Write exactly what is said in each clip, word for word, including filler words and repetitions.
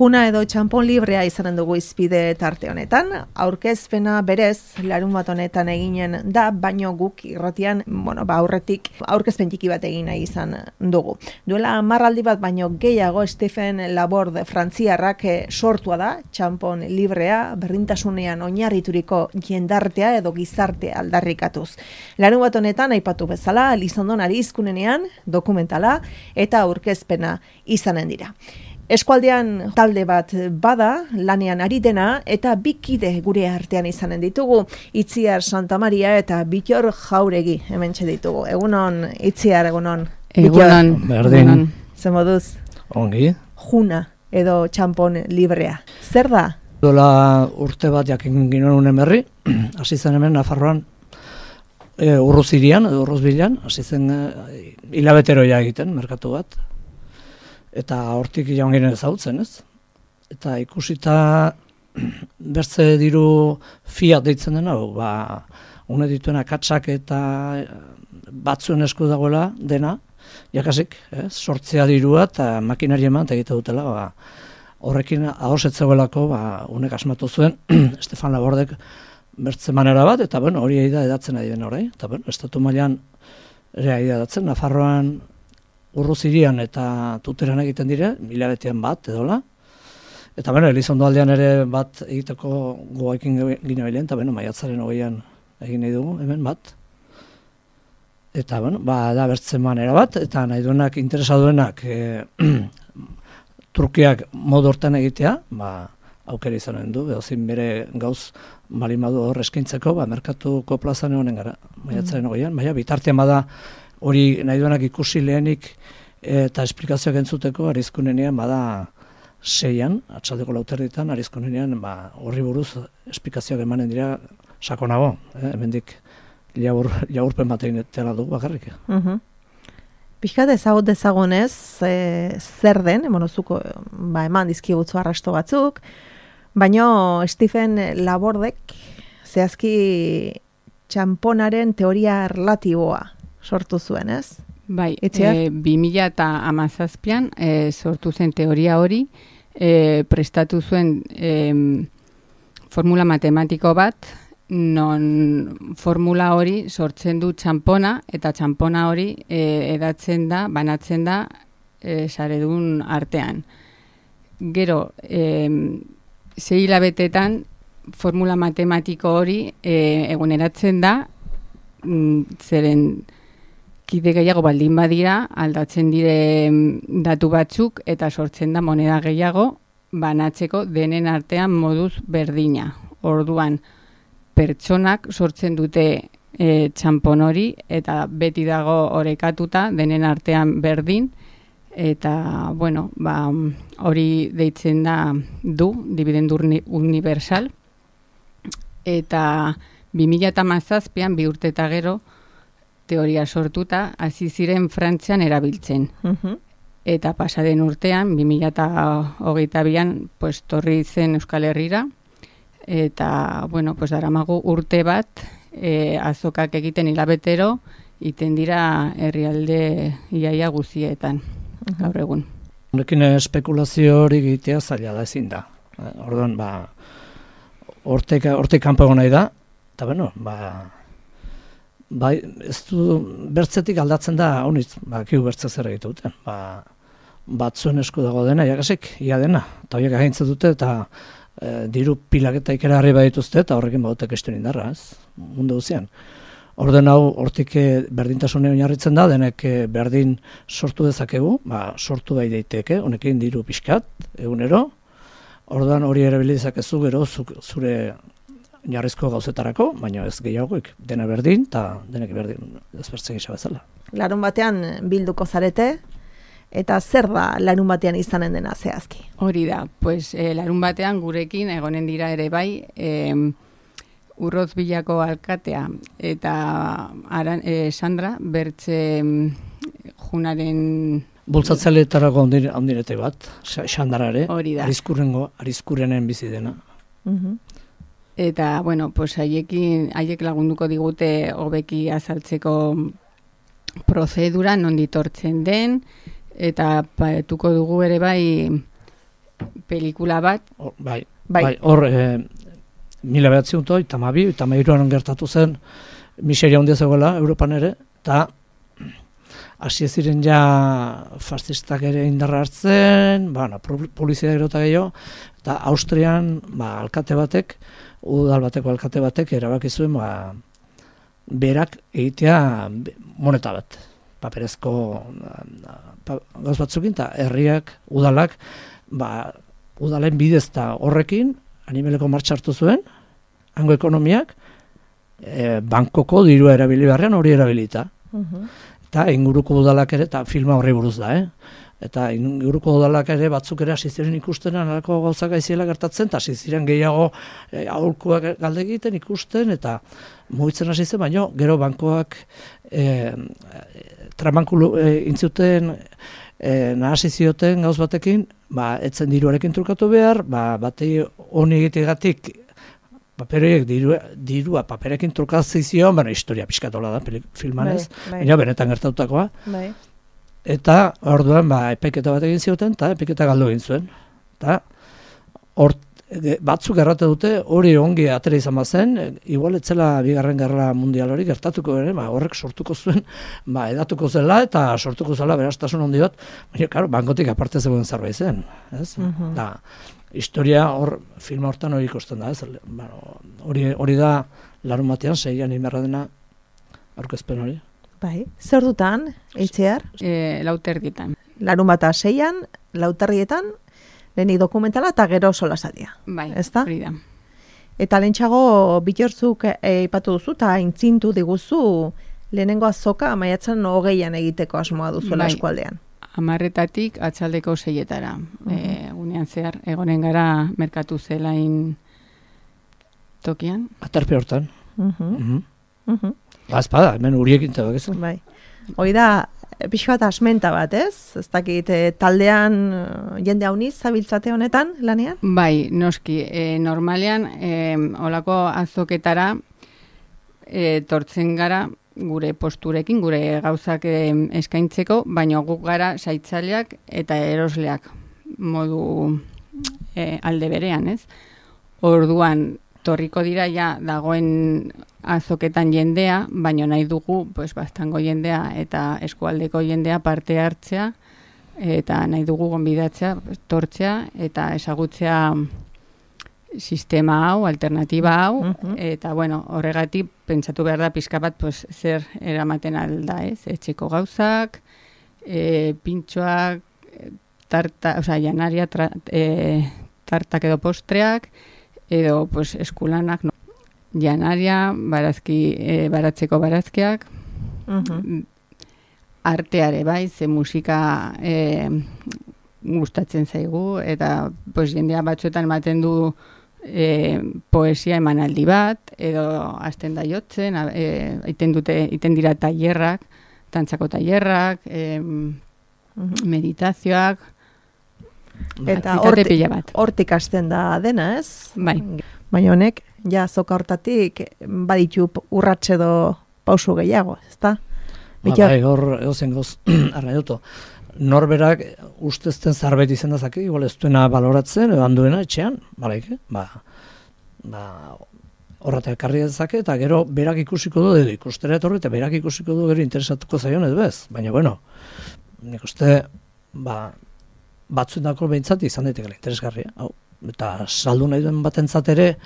Juna edo txanpon librea izanen dugu izpide tarte honetan. Aurkezpena berez larun bat honetan eginen da, baino guk irratian, bueno, ba aurretik aurkezpen txiki bat egin nahi izan dugu. Duela marraldi bat baino gehiago Stephen Laborde frantziarrak sortua da, txanpon librea, berdintasunean oinarrituriko jendartea edo gizartea aldarrikatuz. Larun bat honetan aipatu bezala, Elizondon Arizkunenean dokumentala eta aurkezpena izanen dira. Eskualdean talde bat bada, lanean ari dena, eta bi kide gure artean izanen ditugu. Itziar Santamaria eta Bitor Jauregi hementxe ditugu. Egunon, Itziar, egunon. Egunon. Berdin. Zer moduz? Ongi. Juna edo txanpon librea. Zer da? Dola urte bat jakin ginoen unen berri, hasi zen hemen Nafarroan, e, urruzirian, edo urruzbilan, hasi zen e, hilabeteroia egiten, merkatu bat. Eta hortik jaun ginen ezautzen, ez? Eta ikusita bertze diru fiat deitzen dena, ba, une dituen akatsak eta batzuen esku dagoela dena, jakasik, ez? Sortzea dirua eta makinari eman eta egite dutela, ba, horrekin ahosetzegoelako, ba, unek asmatu zuen, Stefan Labordek bertze manera bat, eta bueno, hori da edatzen ari den horrei, eta bueno, estatu mailan ere ari edatzen, Nafarroan Urruzirian eta Tuteran egiten dire, hilabetean bat edola. Eta bueno, Elizondo aldean ere bat egiteko goaekin gine bailen, eta bueno, maiatzaren hogeian egin nahi dugu, hemen bat. Eta bueno, ba, da bertzen manera bat, eta nahi duenak, interesa duenak, e, Turkiak modu hortan egitea, ba, aukera izanen du, behozin bere gauz malimadu hor eskaintzeko, ba, merkatuko plazan honen gara, maiatzaren hogeian, baina bitartean bada, hori nahi duenak ikusi lehenik eta esplikazioak entzuteko Arizkunenean bada seian, atxaldeko lauterditan, Arizkunenean ba, horri buruz esplikazioak emanen dira sakonago, eh? Hemendik jaur, jaurpen bat egin etela dugu bakarrik. Uh-huh. Pixkat ezagut dezagonez, e, zer den, monozuko ba, eman dizkigutzu arrasto batzuk, baino Stephen Labordek zehazki txanponaren teoria relatiboa sortu zuen, ez? Bai, e, bi mila eta hamazazpian e, sortu zen teoria hori, e, prestatu zuen e, formula matematiko bat, non formula hori sortzen du txanpona, eta txanpona hori e, edatzen da, banatzen da e, saredun artean. Gero, e, sei hilabetetan formula matematiko hori e, eguneratzen da, mm, zeren kide gehiago baldin badira, aldatzen dire datu batzuk eta sortzen da moneda gehiago banatzeko denen artean moduz berdina. Orduan, pertsonak sortzen dute e, txanpon hori eta beti dago orekatuta denen artean berdin eta, bueno, ba, hori deitzen da du, dividendu universal, eta bi mila hamazazpian bi urte eta gero teoria sortuta, hasi ziren Frantzian erabiltzen. Uh-huh. Eta pasaden urtean, bi mila hogeita bian, pues, torri zen Euskal Herrira, eta, bueno, pues, daramagu urte bat, e, azokak egiten hilabetero, iten dira herrialde iaia guzietan, uh-huh. gaur egun. Horrekin espekulazio hori egitea zaila da ezin da. Orduan, ba, hortek, hortek kanpo egon nahi da, eta, bueno, ba, bai, ez du bertzetik aldatzen da, honitz, ba, kiu bertze zer egitu duten. Ba, batzuen esku dago dena, jakasik, ia dena. Eta horiek agintzen dute, eta e, diru pilaketa ikera harri badituzte, eta horrekin badutek esten indarra, ez? Mundu guzian. Orden hau, hortik berdintasune oinarritzen da, denek berdin sortu dezakegu, ba, sortu bai daiteke, honekin diru pixkat, egunero. Orduan hori ere bilizakezu gero zure jarrizko gauzetarako, baina ez gehiagoik, dena berdin, eta denek berdin ezbertzen gisa bezala. Larun batean bilduko zarete, eta zer da larun batean izanen dena zehazki? Hori da, pues, eh, larun batean gurekin egonen dira ere bai, eh, Urroz Bilako alkatea, eta aran, eh, Sandra, bertze junaren... Bultzatzaileetarako ondirete bat, Sandarare, hori da. Arizkurrengo, Arizkurrenen bizi dena. Uh-huh. Eta, bueno, pues haiekin, haiek lagunduko digute hobeki azaltzeko prozedura, non ditortzen den, eta paetuko dugu ere bai pelikula bat. O, bai, Bai. bai, hor, e, mila behatziun toi, tamabi, eta mairuan gertatu zen, miseria handia zegoela, Europan ere, eta hasi ez ziren ja fascistak ere indarra hartzen, ba, no, polizia gero eta gehiago, eta Austrian, ba, alkate batek, udal bateko alkate batek, erabaki zuen, ba, berak egitea moneta bat, paperezko pa, gauz batzukin, eta herriak, udalak, ba, udalen bidez eta horrekin, animeleko martxa hartu zuen, hango ekonomiak, e, bankoko dirua erabili beharrean hori erabilita. Mhm. Eta inguruko udalak ere, eta filma horri buruz da, eh? Eta inguruko udalak ere batzuk ere hasi ziren ikusten alako gauzak aiziela gertatzen, eta hasi ziren gehiago e, aholkuak galde egiten ikusten, eta mugitzen hasi zen, baina gero bankoak e, trabankulu e, intzuten e, nahasi zioten gauz batekin, ba, etzen diruarekin trukatu behar, ba, batei honi egitegatik paperoiek dirua, dirua paperekin trukazizio, baina historia pixkatola da filman ez, bai, baina benetan gertatutakoa. Bai. Eta orduan ba, epeketa bat egin zioten, eta epeketa galdu egin zuen. Eta hor, batzuk errate dute hori ongi atera izan bazen, igual etzela bigarren gerra mundial hori gertatuko ere, ba, horrek sortuko zuen, ba, edatuko zela eta sortuko zela beraztasun handi bat, baina, karo, bankotik aparte zegoen zerbait zen. Ez? Mhm. Da, historia hor, filma hortan hori ikusten da, ez? Bueno, hori, hori da larun batean, seian imerra dena aurkezpen hori. Bai. Zer dutan, eitxear? E, lauterdietan. Larun bata seian, lauterrietan, lehenik dokumentala eta gero solasadia. Bai, Ezta? hori da. Eta lehentxago bitortzuk eipatu duzu eta intzintu diguzu lehenengo azoka maiatzen hogeian egiteko asmoa duzuela Bai. eskualdean. Amarretatik atxaldeko seietara. Mhm. E, gunean zehar, egonen gara merkatu zelain tokian. Aterpe hortan. Mhm. Mhm. Mhm. Ba, espada, hemen uriekin tebak ez. Bai. Hoi da, pixka bat asmenta bat, ez? Ez dakit, eh, taldean eh, jende hauniz zabiltzate honetan, lanean? Bai, noski, e, normalean, e, olako azoketara e, tortzen gara gure posturekin, gure gauzak e, eskaintzeko, baina guk gara saitzaileak eta erosleak modu e, alde berean, ez? Orduan, torriko dira ja dagoen azoketan jendea, baina nahi dugu pues, bastango jendea eta eskualdeko jendea parte hartzea, eta nahi dugu gonbidatzea, tortzea, eta ezagutzea sistema hau, alternatiba hau, Mhm. eta bueno, horregatik pentsatu behar da pixka bat pues, zer eramaten alda, ez? Etxeko gauzak, e, pintxoak, tarta, o sea, janaria, tra, e, tartak edo postreak, edo pues, eskulanak, no? Janaria, barazki, e, baratzeko barazkiak, Mhm. arteare bai, ze musika e, gustatzen zaigu, eta pues, jendea batzuetan ematen du e, poesia emanaldi bat, edo hasten da jotzen, a- e, iten, dute, iten dira tailerrak, tantzako tailerrak, e, Mhm. meditazioak, Eta aktivitate horti- pila bat. hortik hasten da dena, ez? Bai. Baina honek, ja zoka hortatik baditu urratxe edo pausu gehiago, ezta? Ba, Bitxo- bai, hor egozen goz, arra joto. Norberak ustezten zarbait izan dezake, igual ez duena baloratzen, edo handuena etxean, balaike, ba, ba, horretak ekarri dezake, eta gero berak ikusiko du, edo ikustera etorri, eta berak ikusiko du gero interesatuko zaion edo ez, baina bueno, nik uste, ba, batzuendako behintzat izan daitekela interesgarria, hau. Eta saldu nahi duen batentzat ere,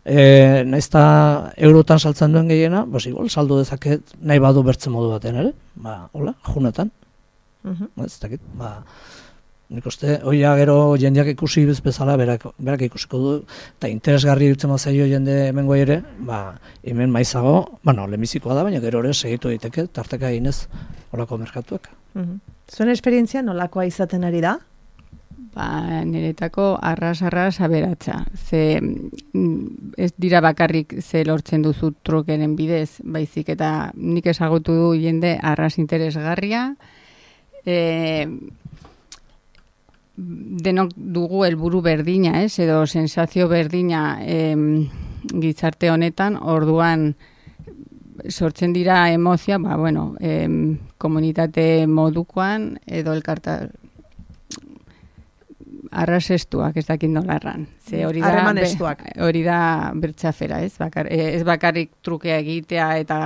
e, naiz eta eurotan saltzen duen gehiena, bos igual saldu dezaket nahi badu bertzen modu baten ere, ba, hola, junetan, Mhm. ez dakit, ba, nik uste, oia gero jendeak ikusi bez bezala, berak, berak ikusiko du, eta interesgarri dutzen mazaio jende hemen goi ere, ba, hemen maizago, bueno, lehenbizikoa da, baina gero ere segitu daiteke, tarteka eginez, holako merkatuak. Mhm. Zuen esperientzia nolakoa izaten ari da? Ba, niretako arras-arras aberatza. Ze mm, ez dira bakarrik ze lortzen duzu trukeren bidez, baizik eta nik ezagutu du jende arras interesgarria. E, denok dugu helburu berdina, ez? Edo sensazio berdina em, gizarte honetan, orduan sortzen dira emozia, ba, bueno, em, komunitate modukoan, edo elkarta arrasestuak, ez dakit nola erran. Ze hori da, Harreman be- estuak. hori da bertxafera, ez? Bakar, eh, ez bakarrik trukea egitea eta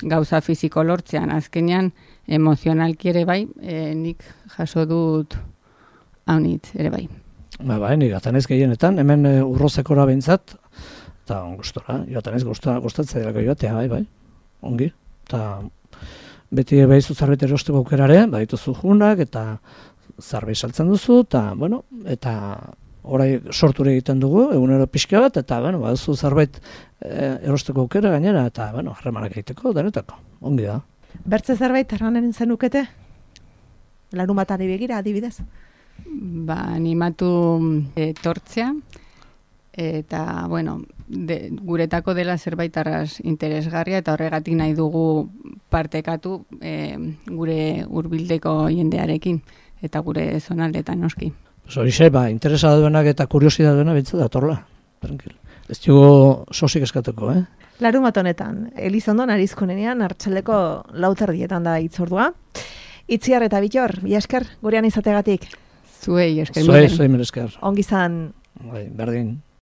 gauza fisiko lortzean, azkenean emozionalki ere bai, eh, nik jaso dut haunitz ere bai. Ba, bai, nik atanez gehienetan, hemen e, urrozekora behintzat, eta gustora, joatanez gustatzea delako joatea, bai, bai, ongi. Eta beti behizu zarbait erosteko aukerare, badituzu junak, eta zarbait saltzen duzu, eta, bueno, eta orai sorture egiten dugu, egunero pixka bat, eta, bueno, baduzu zarbait e, erosteko aukera gainera, eta, bueno, harremanak egiteko, denetako, ongi da. Bertze zerbait erranen zenukete? Larun batari begira, adibidez. Ba, animatu etortzea, eta, bueno, de, guretako dela zerbait arras interesgarria, eta horregatik nahi dugu partekatu e, gure hurbildeko jendearekin, eta gure zonaldetan noski. Horixe, ba, interesa duenak eta kuriosidad duena bintzat datorla, tranquil. Ez dugu sosik eskatuko, eh? Larun bat honetan, Elizondon arizkunenean, hartxaldeko lauterdietan da itzordua. Itziar eta Bitor, bi esker, gurean izategatik. Zuei esker. Zuei, zuei, mire esker. Ongi zan. Bai, berdin.